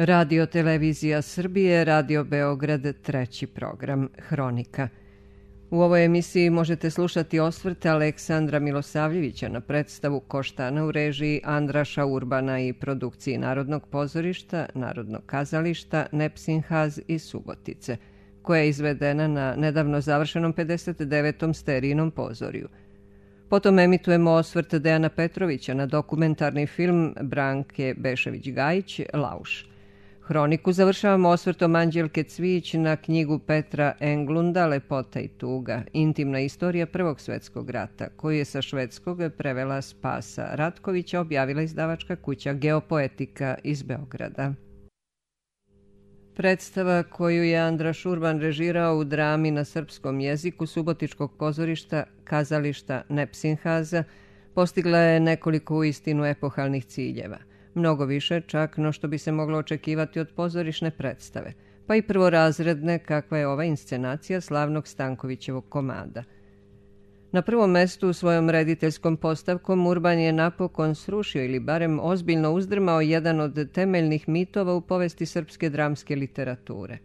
Radio Televizija Srbije, Radio Beograd, treći program, Hronika. U ovoj emisiji možete slušati osvrte Aleksandra Milosavljevića na predstavu Koštana u režiji Andraša Urbana i produkciji Narodnog pozorišta, Narodnog kazališta, Nepsinhaz i Subotice, koja je izvedena na nedavno završenom 59. Sterijnom pozoriju. Potom emitujemo osvrt Dejana Petrovića na dokumentarni film Branke Bešević-Gajić Lauš. Hroniku završavamo osvrtom Anđelke Cvijić na knjigu Petra Englunda Lepota i tuga, intimna istorija Prvog svjetskog rata, koju je sa švedskog prevela Spasa Ratkovića objavila izdavačka kuća Geopoetika iz Beograda. Predstava koju je Andraš Urban režirao u drami na srpskom jeziku Subotičkog pozorišta kazališta Nepsinhaza postigla je nekoliko uistinu epohalnih ciljeva. Mnogo više čak no što bi se moglo očekivati od pozorišne predstave, pa i prvorazredne kakva je ova inscenacija slavnog Stankovićevog komada. Na prvom mestu svojom rediteljskom postavkom Urban je napokon srušio ili barem ozbiljno uzdrmao jedan od temeljnih mitova u povesti srpske dramske literature.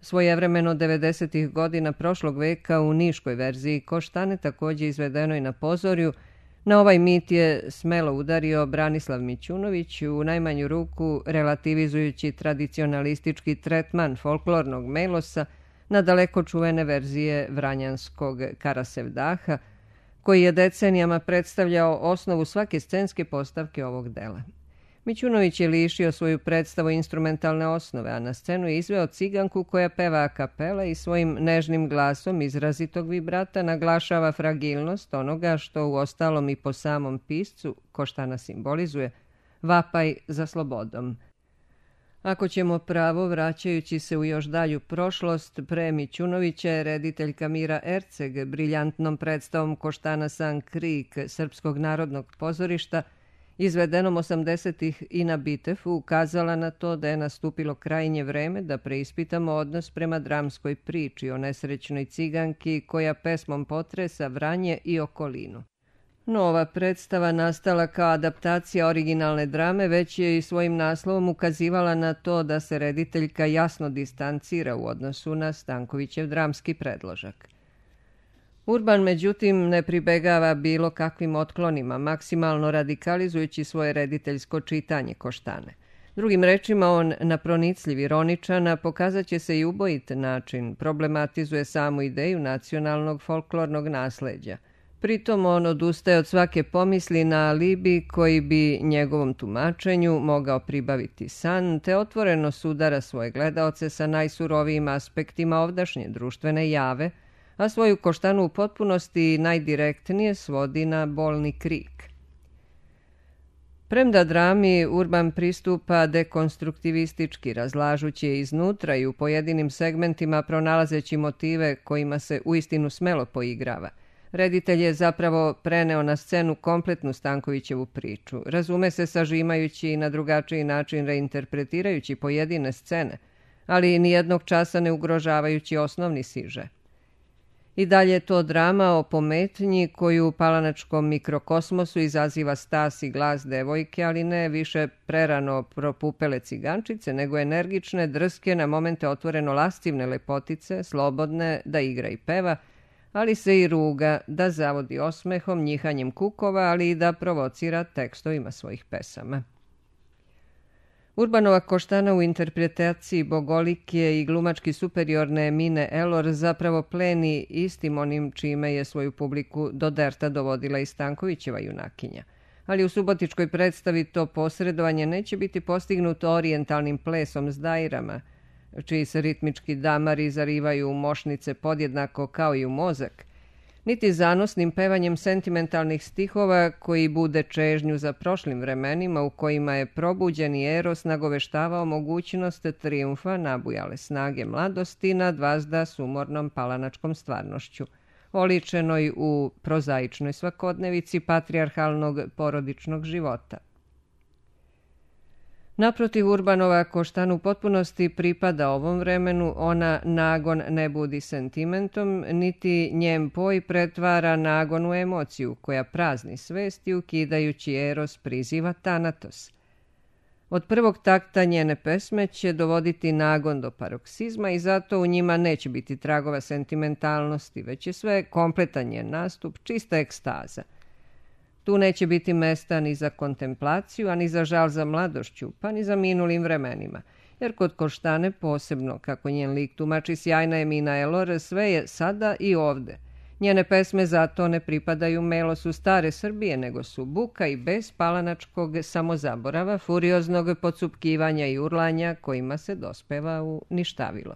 Svojevremeno 90. godina prošlog veka u niškoj verziji Koštane, također izvedenoj na pozorju, na ovaj mit je smelo udario Branislav Mićunović, u najmanju ruku relativizujući tradicionalistički tretman folklornog melosa na daleko čuvene verzije vranjanskog Karasevdaha, koji je decenijama predstavljao osnovu svake scenske postavke ovog dela. Mićunović je lišio svoju predstavu instrumentalne osnove, a na scenu je izveo ciganku koja peva a kapela i svojim nežnim glasom izrazitog vibrata naglašava fragilnost onoga što u ostalom i po samom piscu Koštana simbolizuje, vapaj za slobodom. Ako ćemo pravo, vraćajući se u još dalju prošlost, pre Mićunovića je rediteljka Mira Erceg briljantnom predstavom Koštana San Krik Srpskog narodnog pozorišta izvedenom 80-ih i na Bitefu ukazala na to da je nastupilo krajnje vreme da preispitamo odnos prema dramskoj priči o nesrećnoj ciganki koja pesmom potresa Vranje i okolinu. Nova predstava nastala kao adaptacija originalne drame već je i svojim naslovom ukazivala na to da se rediteljka jasno distancira u odnosu na Stankovićev dramski predložak. Urban, međutim, ne pribegava bilo kakvim otklonima, maksimalno radikalizujući svoje rediteljsko čitanje Koštane. Drugim rečima, on na pronicljiv ironičan, pokazat će se i ubojit način, problematizuje samu ideju nacionalnog folklornog nasleđa. Pritom on odustaje od svake pomisli na alibi koji bi njegovom tumačenju mogao pribaviti san, te otvoreno sudara svoje gledaoce sa najsurovijim aspektima ovdašnje društvene jave, a svoju Koštanu u potpunosti najdirektnije svodi na bolni krik. Premda drami Urban pristupa dekonstruktivistički, razlažući je iznutra i u pojedinim segmentima pronalazeći motive kojima se uistinu smelo poigrava. Reditelj je zapravo preneo na scenu kompletnu Stankovićevu priču, razume se sažimajući i na drugačiji način reinterpretirajući pojedine scene, ali nijednog časa ne ugrožavajući osnovni siže. I dalje je to drama o pometnji koju u palanačkom mikrokosmosu izaziva stas i glas devojke, ali ne više prerano propupele cigančice, nego energične, drske, na momente otvoreno lascivne lepotice, slobodne da igra i peva, ali se i ruga, da zavodi osmehom, njihanjem kukova, ali i da provocira tekstovima svojih pesama. Urbanova Koštana u interpretaciji bogolike i glumački superiorne Mine Elor zapravo pleni istim onim čime je svoju publiku do derta dovodila i Stankovićeva junakinja. Ali u subotičkoj predstavi to posredovanje neće biti postignuto orijentalnim plesom s dajrama, čiji se ritmički damari zarivaju u mošnice podjednako kao i u mozak, niti zanosnim pevanjem sentimentalnih stihova koji bude čežnju za prošlim vremenima u kojima je probuđeni eros nagoveštavao mogućnost trijumfa nabujale snage mladosti nad vazda sumornom palanačkom stvarnošću, oličenoj u prozaičnoj svakodnevici patrijarhalnog porodičnog života. Naprotiv, Urbanova Koštana u potpunosti pripada ovom vremenu, ona nagon ne budi sentimentom, niti njen poj pretvara nagon u emociju koja prazni svest i ukidajući eros priziva tanatos. Od prvog takta njene pesme će dovoditi nagon do paroksizma i zato u njima neće biti tragova sentimentalnosti, već je sve kompletan njen nastup, čista ekstaza. Tu neće biti mesta ni za kontemplaciju, a ni za žal za mladošću, pa ni za minulim vremenima. Jer kod Koštane posebno, kako njen lik tumači sjajna Emina Elor, sve je sada i ovde. Njene pesme zato ne pripadaju melosu stare Srbije, nego su buka i bes palanačkog samozaborava, furioznog podsupkivanja i urlanja kojima se dospeva u ništavilo.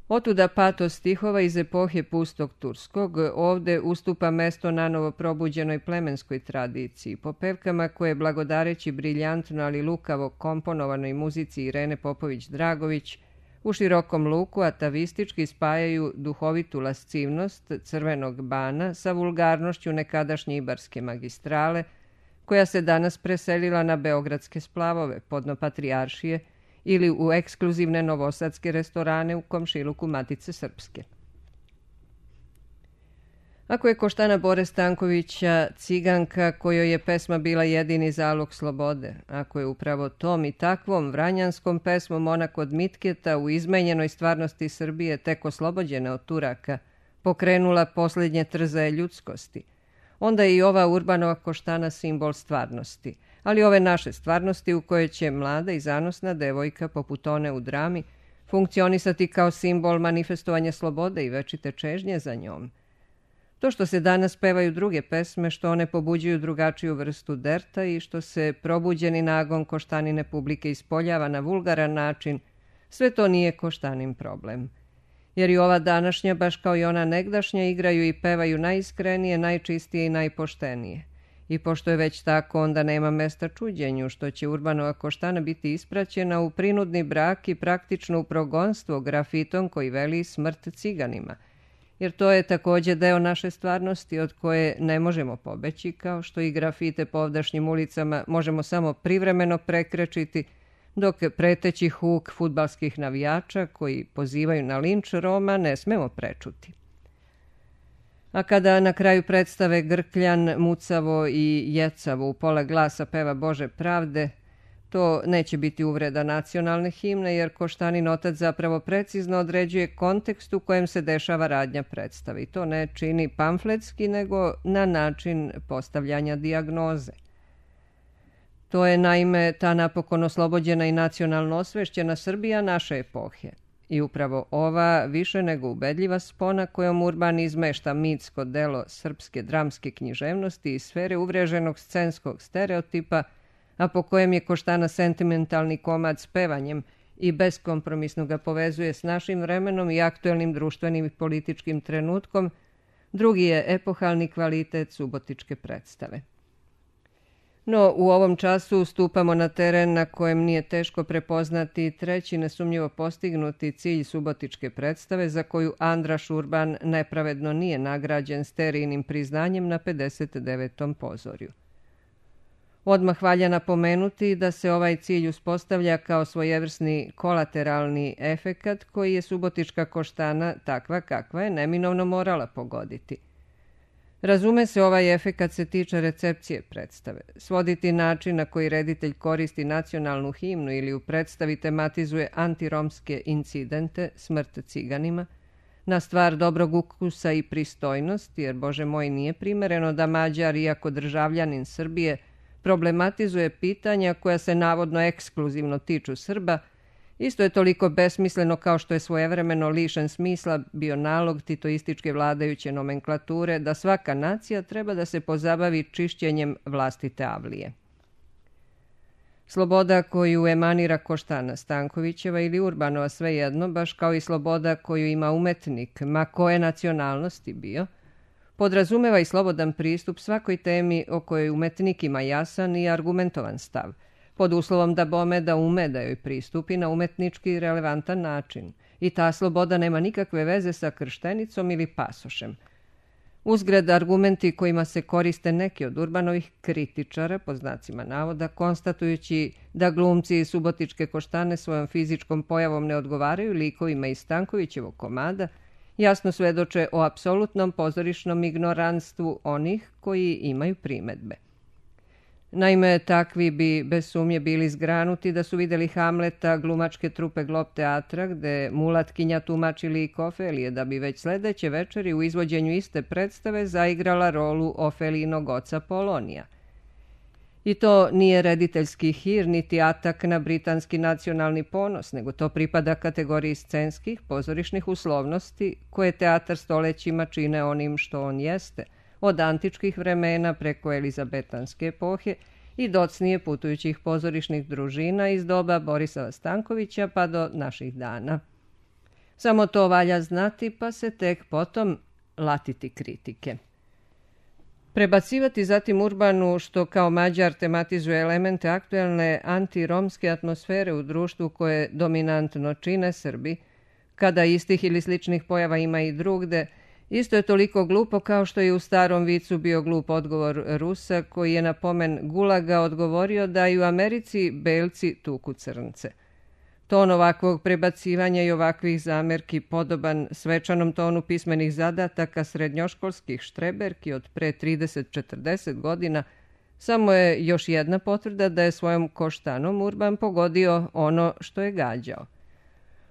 Otuda patos stihova iz epohe pustog turskog ovde ustupa mesto nanovo probuđenoj plemenskoj tradiciji, po pevkama koje, blagodareći briljantno ali lukavo komponovanoj muzici Irene Popović-Dragović, u širokom luku atavistički spajaju duhovitu lascivnost crvenog bana sa vulgarnošću nekadašnje ibarske magistrale, koja se danas preselila na beogradske splavove, podno Patrijaršije, ili u ekskluzivne novosadske restorane u komšiluku Matice Srpske. Ako je Koštana Bore Stankovića ciganka kojoj je pesma bila jedini zalog slobode, ako je upravo tom i takvom vranjanskom pesmom ona kod Mitketa u izmenjenoj stvarnosti Srbije tek oslobođena od Turaka pokrenula posljednje trzaje ljudskosti, onda je i ova Urbanova Koštana simbol stvarnosti, ali ove naše stvarnosti u kojoj će mlada i zanosna devojka poput one u drami funkcionisati kao simbol manifestovanja slobode i večite čežnje za njom. To što se danas pevaju druge pesme, što one pobuđuju drugačiju vrstu derta i što se probuđeni nagon Koštanine publike ispoljava na vulgaran način, sve to nije Koštanin problem. Jer i ova današnja, baš kao i ona negdašnja, igraju i pevaju najiskrenije, najčistije i najpoštenije. I pošto je već tako, onda nema mesta čuđenju što će Urbanova Koštana biti ispraćena u prinudni brak i praktično u progonstvo grafitom koji veli smrt ciganima. Jer to je također deo naše stvarnosti od koje ne možemo pobeći, kao što i grafite po ovdašnjim ulicama možemo samo privremeno prekrečiti, dok preteći huk fudbalskih navijača koji pozivaju na linč Roma ne smemo prečuti. A kada na kraju predstave Grkljan, mucavo i jecavo u pola glasa peva Bože pravde, to neće biti uvreda nacionalne himne, jer Koštanin otac zapravo precizno određuje kontekst u kojem se dešava radnja predstave. I to ne čini pamfletski, nego na način postavljanja dijagnoze. To je naime ta napokon oslobođena i nacionalno osvešćena Srbija naše epohe. I upravo ova više nego ubedljiva spona kojom Urban izmešta mitsko delo srpske dramske književnosti iz sfere uvreženog scenskog stereotipa, a po kojem je Koštana sentimentalni komad s pevanjem i beskompromisno ga povezuje s našim vremenom i aktuelnim društvenim i političkim trenutkom, drugi je epohalni kvalitet subotičke predstave. No, u ovom času stupamo na teren na kojem nije teško prepoznati treći nesumnjivo postignuti cilj subotičke predstave za koju Andraš Urban nepravedno nije nagrađen sterijnim priznanjem na 59. pozorju. Odmah valja napomenuti da se ovaj cilj uspostavlja kao svojevrsni kolateralni efekat koji je subotička Koštana, takva kakva je, neminovno morala pogoditi. Razume se, ovaj efekat se tiče recepcije predstave. Svoditi način na koji reditelj koristi nacionalnu himnu ili u predstavi tematizuje antiromske incidente, smrt ciganima, na stvar dobrog ukusa i pristojnosti, jer, Bože moj, nije primereno da Mađar, iako državljanin Srbije, problematizuje pitanja koja se navodno ekskluzivno tiču Srba, isto je toliko besmisleno kao što je svojevremeno lišen smisla bio nalog titoističke vladajuće nomenklature da svaka nacija treba da se pozabavi čišćenjem vlastite avlije. Sloboda koju emanira Koštana Stankovićeva ili Urbanova, svejedno, baš kao i sloboda koju ima umetnik, ma koje nacionalnosti bio, podrazumeva i slobodan pristup svakoj temi o kojoj umetnik ima jasan i argumentovan stav, pod uslovom da bome da ume da joj pristupi na umetnički i relevantan način. I ta sloboda nema nikakve veze sa krštenicom ili pasošem. Uzgred, argumenti kojima se koriste neki od Urbanovih kritičara, po znacima navoda, konstatujući da glumci subotičke Koštane svojom fizičkom pojavom ne odgovaraju likovima iz Stankovićevog komada, jasno svedoče o apsolutnom pozorišnom ignoranstvu onih koji imaju primedbe. Naime, takvi bi bez sumnje bili zgranuti da su vidjeli Hamleta glumačke trupe Glob teatra, gde Mulatkinja tumači lik Ofelije, da bi već sledeće večeri u izvođenju iste predstave zaigrala rolu Ofelijnog oca Polonija. I to nije rediteljski hir, niti atak na britanski nacionalni ponos, nego to pripada kategoriji scenskih, pozorišnih uslovnosti, koje teatar stolećima čine onim što on jeste, od antičkih vremena preko elizabetanske epohe i docnije putujućih pozorišnih družina iz doba Borisa Stankovića pa do naših dana. Samo to valja znati, pa se tek potom latiti kritike. Prebacivati zatim Urbanu, što kao Mađar tematizuje elemente aktuelne antiromske atmosfere u društvu koje dominantno čine Srbi, kada istih ili sličnih pojava ima i drugde, isto je toliko glupo kao što je u starom vicu bio glup odgovor Rusa koji je na pomen Gulaga odgovorio da i u Americi belci tuku crnce. Ton ovakvog prebacivanja i ovakvih zamerki podoban svečanom tonu pismenih zadataka srednjoškolskih štreberki od pre 30-40 godina samo je još jedna potvrda da je svojom koštanom Urban pogodio ono što je gađao.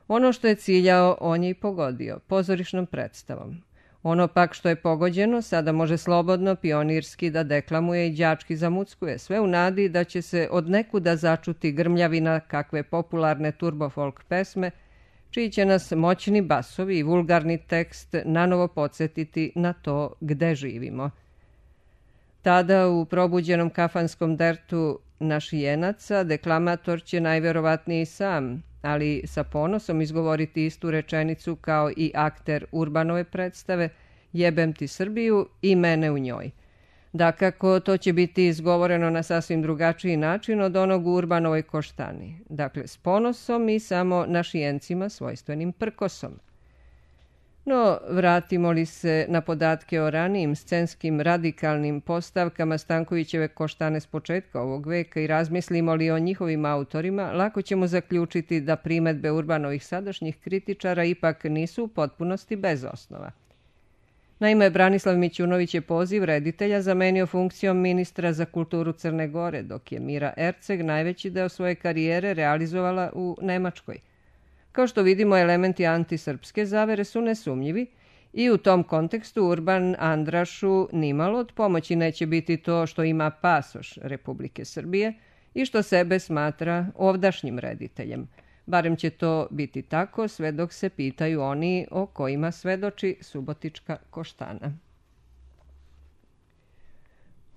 Ono što je ciljao, on je i pogodio, pozorišnom predstavom. Ono pak što je pogođeno sada može slobodno, pionirski da deklamuje i đački zamuckuje, sve u nadi da će se od nekuda začuti grmljavina kakve popularne turbofolk pesme, čiji će nas moćni basovi i vulgarni tekst nanovo podsjetiti na to gde živimo. Tada u probuđenom kafanskom dertu našijenaca deklamator će najverovatniji sam, ali sa ponosom izgovoriti istu rečenicu kao i akter Urbanove predstave "Jebem ti Srbiju i mene u njoj". Dakako, to će biti izgovoreno na sasvim drugačiji način od onog u Urbanovoj koštani. Dakle, s ponosom i samo našijencima svojstvenim prkosom. No, vratimo li se na podatke o ranijim scenskim radikalnim postavkama Stankovićeve koštane s početka ovog veka i razmislimo li o njihovim autorima, lako ćemo zaključiti da primetbe Urbanovih sadašnjih kritičara ipak nisu u potpunosti bez osnova. Naime, Branislav Mićunović je poziv reditelja zamenio funkcijom ministra za kulturu Crne Gore, dok je Mira Erceg najveći deo svoje karijere realizovala u Nemačkoj. Kao što vidimo, elementi antisrpske zavere su nesumnjivi i u tom kontekstu Urban Andrašu nimalo od pomoći neće biti to što ima pasoš Republike Srbije i što sebe smatra ovdašnjim rediteljem. Barem će to biti tako sve dok se pitaju oni o kojima svedoči Subotička koštana.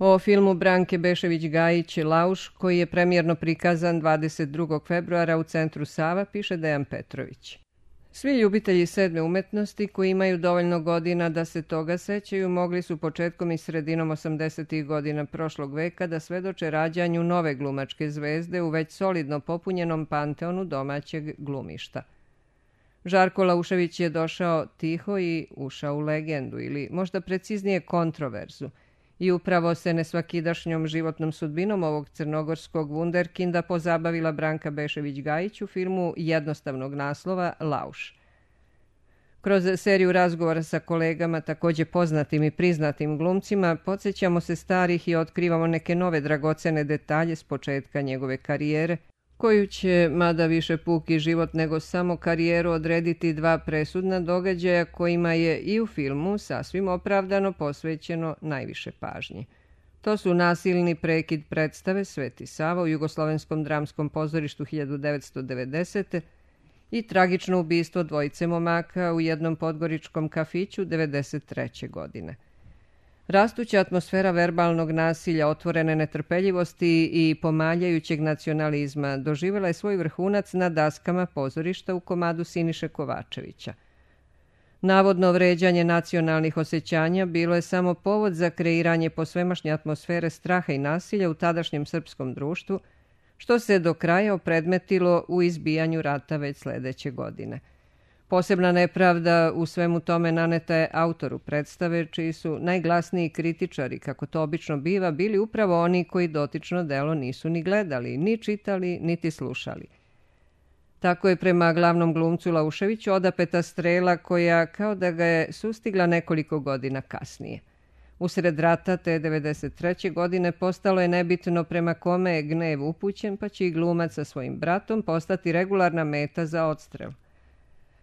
O filmu Branke Bešević-Gajić "Lauš", koji je premijerno prikazan 22. februara u Centru Sava, piše Dejan Petrović. Svi ljubitelji sedme umetnosti koji imaju dovoljno godina da se toga sećaju mogli su početkom i sredinom 80. godina prošlog veka da svedoče rađanju nove glumačke zvezde u već solidno popunjenom panteonu domaćeg glumišta. Žarko Laušević je došao tiho i ušao u legendu, ili možda preciznije kontroverzu, i upravo se nesvakidašnjom životnom sudbinom ovog crnogorskog vunderkinda pozabavila Branka Bešević-Gajić u filmu jednostavnog naslova "Lauš". Kroz seriju razgovora sa kolegama, takođe poznatim i priznatim glumcima, podsjećamo se starih i otkrivamo neke nove dragocene detalje s početka njegove karijere, koju će, mada više puki život nego samo karijeru, odrediti dva presudna događaja kojima je i u filmu sasvim opravdano posvećeno najviše pažnje. To su nasilni prekid predstave Sveti Sava u Jugoslovenskom dramskom pozorištu 1990. i tragično ubistvo dvojice momaka u jednom podgoričkom kafiću 1993. godine. Rastuća atmosfera verbalnog nasilja, otvorene netrpeljivosti i pomaljajućeg nacionalizma doživjela je svoj vrhunac na daskama pozorišta u komadu Siniše Kovačevića. Navodno vređanje nacionalnih osjećanja bilo je samo povod za kreiranje posvemašnje atmosfere straha i nasilja u tadašnjem srpskom društvu, što se do kraja opredmetilo u izbijanju rata već sledeće godine. Posebna nepravda u svemu tome naneta je autoru predstave, čiji su najglasniji kritičari, kako to obično biva, bili upravo oni koji dotično delo nisu ni gledali, ni čitali, niti slušali. Tako je prema glavnom glumcu Lauševiću odapeta strela koja kao da ga je sustigla nekoliko godina kasnije. Usred rata te 1993. godine postalo je nebitno prema kome je gnev upućen, pa će i glumac sa svojim bratom postati regularna meta za odstrel.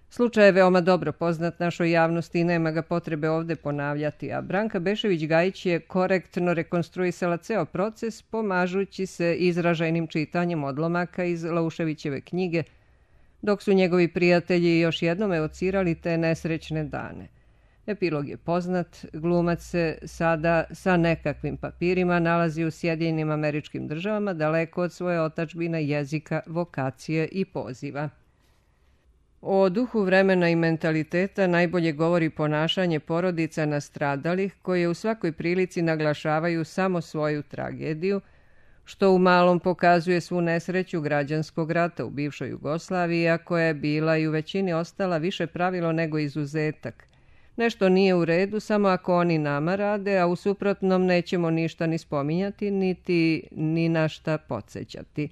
Slučaj je veoma dobro poznat našoj javnosti i nema ga potrebe ovde ponavljati, a Branka Bešević-Gajić je korektno rekonstruisala ceo proces pomažući se izražajnim čitanjem odlomaka iz Lauševićeve knjige, dok su njegovi prijatelji još jednom evocirali te nesrećne dane. Epilog je poznat, glumac se sada sa nekakvim papirima nalazi u Sjedinjenim Američkim Državama, daleko od svoje otadžbine, jezika, vokacije i poziva. O duhu vremena i mentaliteta najbolje govori ponašanje porodica nastradalih koje u svakoj prilici naglašavaju samo svoju tragediju, što u malom pokazuje svu nesreću građanskog rata u bivšoj Jugoslaviji, a koja je bila i u većini ostala više pravilo nego izuzetak. Nešto nije u redu samo ako oni nama rade, a u suprotnom nećemo ništa ni spominjati, niti ni na šta podsjećati.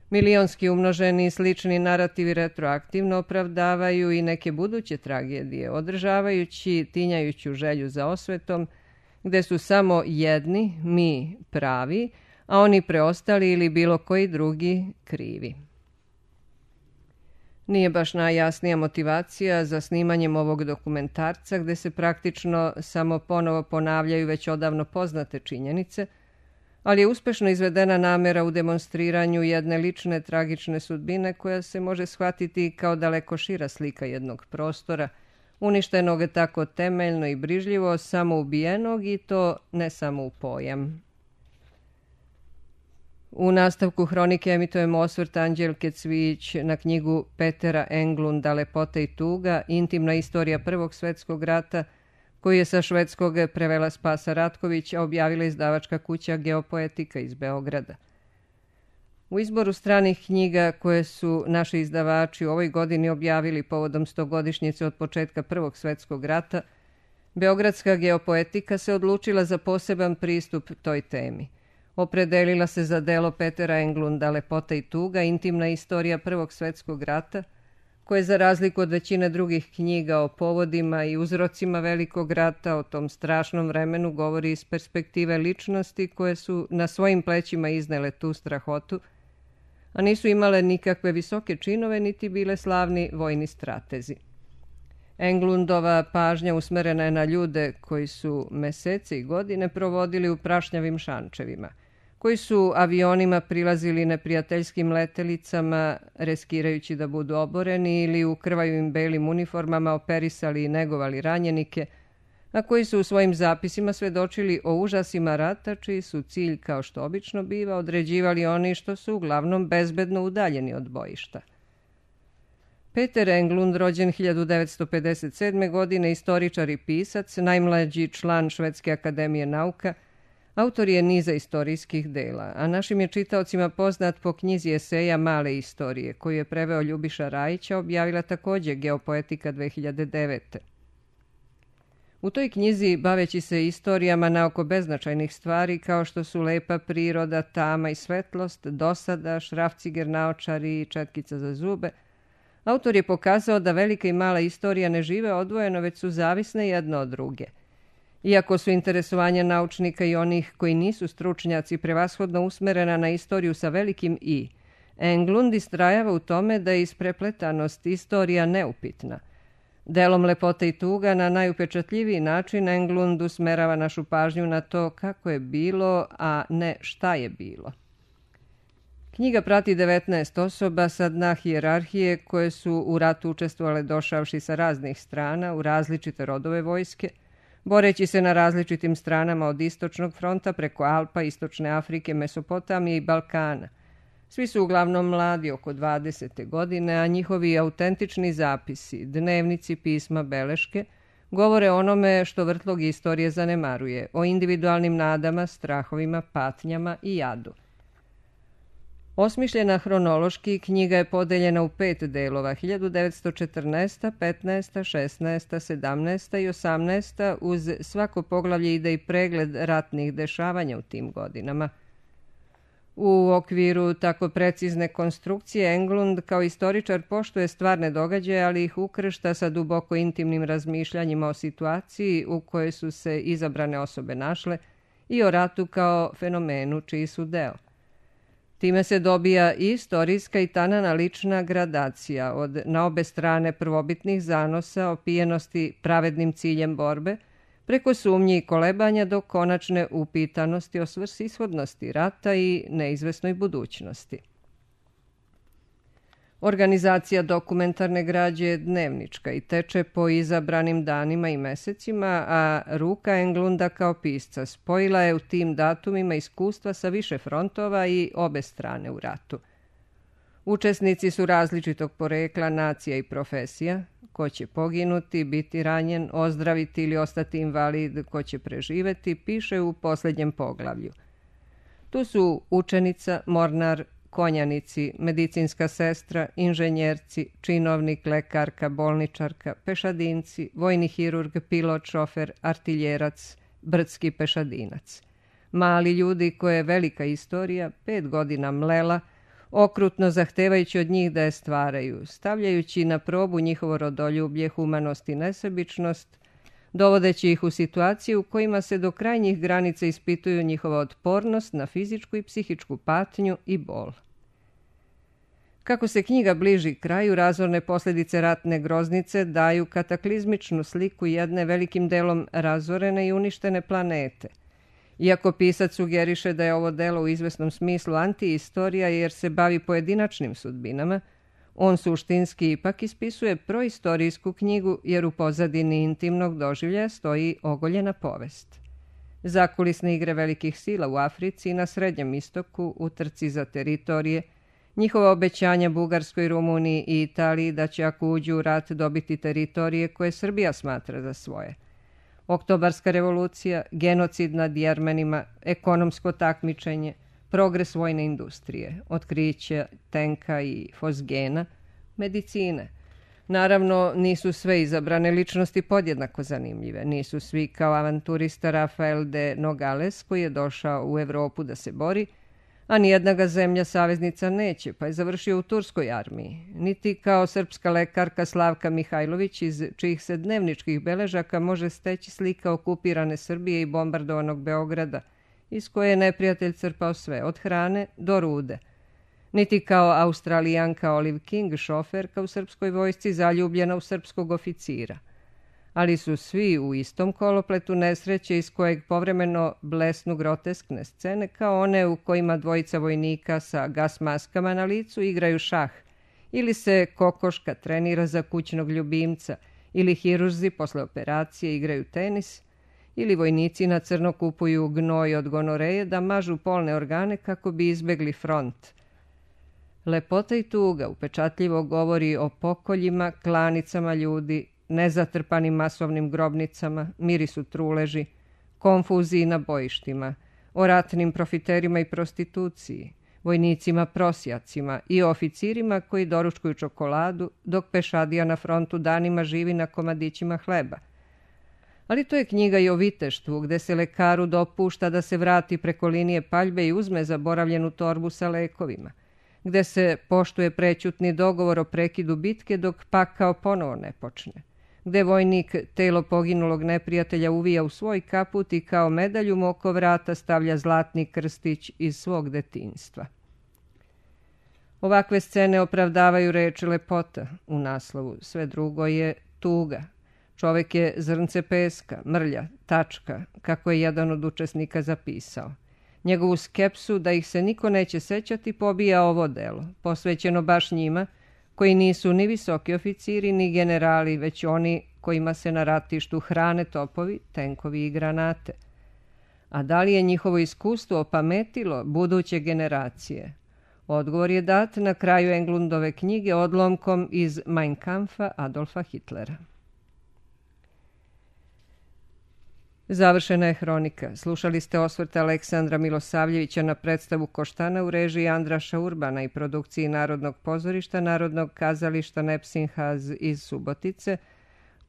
Milionski umnoženi i slični narativi retroaktivno opravdavaju i neke buduće tragedije, održavajući tinjajuću želju za osvetom, gde su samo jedni, mi, pravi, a oni preostali ili bilo koji drugi krivi. Nije baš najjasnija motivacija za snimanjem ovog dokumentarca, gde se praktično samo ponovo ponavljaju već odavno poznate činjenice, ali je uspešno izvedena namera u demonstriranju jedne lične tragične sudbine koja se može shvatiti kao daleko šira slika jednog prostora, uništenog tako temeljno i brižljivo, samo ubijenog i to ne samo u pojam. U nastavku hronike emitujemo osvrt Anđelke Cvijić na knjigu Petera Englunda Lepota i tuga, intimna istorija Prvog svetskog rata, koju je sa švedskog prevela Spasa Ratković, a objavila izdavačka kuća Geopoetika iz Beograda. U izboru stranih knjiga koje su naši izdavači u ovoj godini objavili povodom 100-godišnjice od početka Prvog svetskog rata, Beogradska Geopoetika se odlučila za poseban pristup toj temi. Opredelila se za delo Petera Englunda Lepota i tuga, intimna istorija Prvog svetskog rata, koje za razliku od većine drugih knjiga o povodima i uzrocima Velikog rata, o tom strašnom vremenu, govori iz perspektive ličnosti koje su na svojim plećima iznele tu strahotu, a nisu imale nikakve visoke činove niti bile slavni vojni stratezi. Englundova pažnja usmerena je na ljude koji su mesece i godine provodili u prašnjavim šančevima, koji su avionima prilazili neprijateljskim letelicama, reskirajući da budu oboreni, ili u krvavim belim uniformama operisali i negovali ranjenike, a koji su u svojim zapisima svedočili o užasima rata, čiji su cilj, kao što obično biva, određivali oni što su uglavnom bezbedno udaljeni od bojišta. Peter Englund, rođen 1957. godine, istoričar i pisac, najmlađi član Švedske akademije nauka, autor je niza istorijskih dela, a našim je čitaocima poznat po knjizi eseja Male istorije, koju je preveo Ljubiša Rajića, objavila takođe Geopoetika 2009. U toj knjizi, baveći se istorijama naoko beznačajnih stvari kao što su lepa priroda, tama i svetlost, dosada, šrafciger naočari i četkica za zube, autor je pokazao da velika i mala istorija ne žive odvojeno, već su zavisne jedna od druge. Iako su interesovanja naučnika i onih koji nisu stručnjaci prevashodno usmerena na istoriju sa velikim I, Englund istrajava u tome da je isprepletanost istorija neupitna. Delom Lepota i tuga na najupečatljiviji način Englund usmerava našu pažnju na to kako je bilo, a ne šta je bilo. Knjiga prati 19 osoba sa dna hijerarhije koje su u ratu učestvovale došavši sa raznih strana u različite rodove vojske, boreći se na različitim stranama od istočnog fronta preko Alpa, istočne Afrike, Mesopotamije i Balkana. Svi su uglavnom mladi, oko 20. godine, a njihovi autentični zapisi, dnevnici, pisma, beleške, govore onome što vrtlog istorije zanemaruje, o individualnim nadama, strahovima, patnjama i jadu. Osmišljena hronološki, knjiga je podeljena u 5 delova, 1914., 15., 16., 17. i 18. uz svako poglavlje ide i pregled ratnih dešavanja u tim godinama. U okviru tako precizne konstrukcije Englund kao istoričar poštuje stvarne događaje, ali ih ukršta sa duboko intimnim razmišljanjima o situaciji u kojoj su se izabrane osobe našle i o ratu kao fenomenu čiji su deo. Time se dobija i istorijska i tanana lična gradacija od na obe strane prvobitnih zanosa, opijenosti pravednim ciljem borbe, preko sumnji i kolebanja do konačne upitanosti o svrsishodnosti rata i neizvesnoj budućnosti. Organizacija dokumentarne građe je dnevnička i teče po izabranim danima i mesecima, a ruka Englunda kao pisca spojila je u tim datumima iskustva sa više frontova i obe strane u ratu. Učesnici su različitog porekla, nacija i profesija. Ko će poginuti, biti ranjen, ozdraviti ili ostati invalid, ko će preživeti, piše u posljednjem poglavlju. Tu su učenica, mornar, konjanici, medicinska sestra, inženjerci, činovnik, lekarka, bolničarka, pešadinci, vojni hirurg, pilot, šofer, artiljerac, brdski pešadinac. Mali ljudi koje je velika istorija 5 godina mlela, okrutno zahtevajući od njih da je stvaraju, stavljajući na probu njihovo rodoljublje, humanost i nesebičnost, dovodeći ih u situaciju u kojima se do krajnjih granica ispituju njihova otpornost na fizičku i psihičku patnju i bol. Kako se knjiga bliži kraju, razorne posljedice ratne groznice daju kataklizmičnu sliku jedne velikim delom razorene i uništene planete. Iako pisac sugeriše da je ovo delo u izvesnom smislu antiistorija jer se bavi pojedinačnim sudbinama, on suštinski ipak ispisuje proistorijsku knjigu jer u pozadini intimnog doživljaja stoji ogoljena povest. Zakulisne igre velikih sila u Africi i na Srednjem istoku u trci za teritorije, njihova obećanja Bugarskoj, Rumuniji i Italiji da će ako uđu u rat dobiti teritorije koje Srbija smatra za svoje. Oktobarska revolucija, genocid nad Jermenima, ekonomsko takmičenje, progres vojne industrije, otkriće tenka i fosgena, medicine. Naravno, nisu sve izabrane ličnosti podjednako zanimljive. Nisu svi kao avanturista Rafael de Nogales koji je došao u Evropu da se bori, a nijedna ga zemlja saveznica neće, pa je završio u turskoj armiji. Niti kao srpska lekarka Slavka Mihajlović, iz čijih se dnevničkih beležaka može steći slika okupirane Srbije i bombardovanog Beograda, iz koje je neprijatelj crpao sve, od hrane do rude. Niti kao Australijanka Olive King, šoferka u srpskoj vojsci zaljubljena u srpskog oficira. Ali su svi u istom kolopletu nesreće iz kojeg povremeno blesnu groteskne scene kao one u kojima dvojica vojnika sa gas maskama na licu igraju šah, ili se kokoška trenira za kućnog ljubimca, ili hirurzi posle operacije igraju tenis, ili vojnici na crno kupuju gnoj od gonoreje da mažu polne organe kako bi izbegli front. Lepota i tuga upečatljivo govori o pokoljima, klanicama ljudi, nezatrpanim masovnim grobnicama, mirisu truleži, konfuziji na bojištima, o ratnim profiterima i prostituciji, vojnicima prosjacima i oficirima koji doručkuju čokoladu, dok pešadija na frontu danima živi na komadićima hleba. Ali to je knjiga i o viteštvu, gde se lekaru dopušta da se vrati preko linije paljbe i uzme zaboravljenu torbu sa lekovima, gde se poštuje prećutni dogovor o prekidu bitke dok pakao ponovo ne počne, gde vojnik telo poginulog neprijatelja uvija u svoj kaput i kao medalju mu oko vrata stavlja zlatni krstić iz svog detinjstva. Ovakve scene opravdavaju reč lepota u naslovu, sve drugo je tuga. Čovek je zrnce peska, mrlja, tačka, kako je jedan od učesnika zapisao. Njegovu skepsu da ih se niko neće sećati pobija ovo delo, posvećeno baš njima, koji nisu ni visoki oficiri ni generali, već oni kojima se na ratištu hrane topovi, tenkovi i granate. A da li je njihovo iskustvo opametilo buduće generacije? Odgovor je dat na kraju Englundove knjige odlomkom iz Mein Kampfa Adolfa Hitlera. Završena je hronika. Slušali ste osvrt Aleksandra Milosavljevića na predstavu Koštana u režiji Andraša Urbana i produkciji Narodnog pozorišta Narodnog kazališta Nepsinhaz iz Subotice,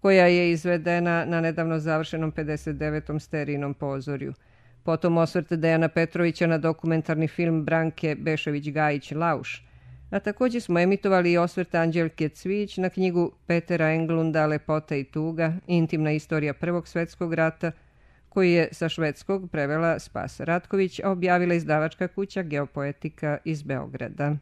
koja je izvedena na nedavno završenom 59. Sterijnom pozorju. Potom osvrt Dejana Petrovića na dokumentarni film Branke Bešević-Gajić Lauš. A također smo emitovali i osvrt Anđelke Cvijić na knjigu Petera Englunda Lepota i tuga, intimna istorija Prvog svjetskog rata, koji je sa švedskog prevela Spasa Ratković, a objavila izdavačka kuća Geopoetika iz Beograda.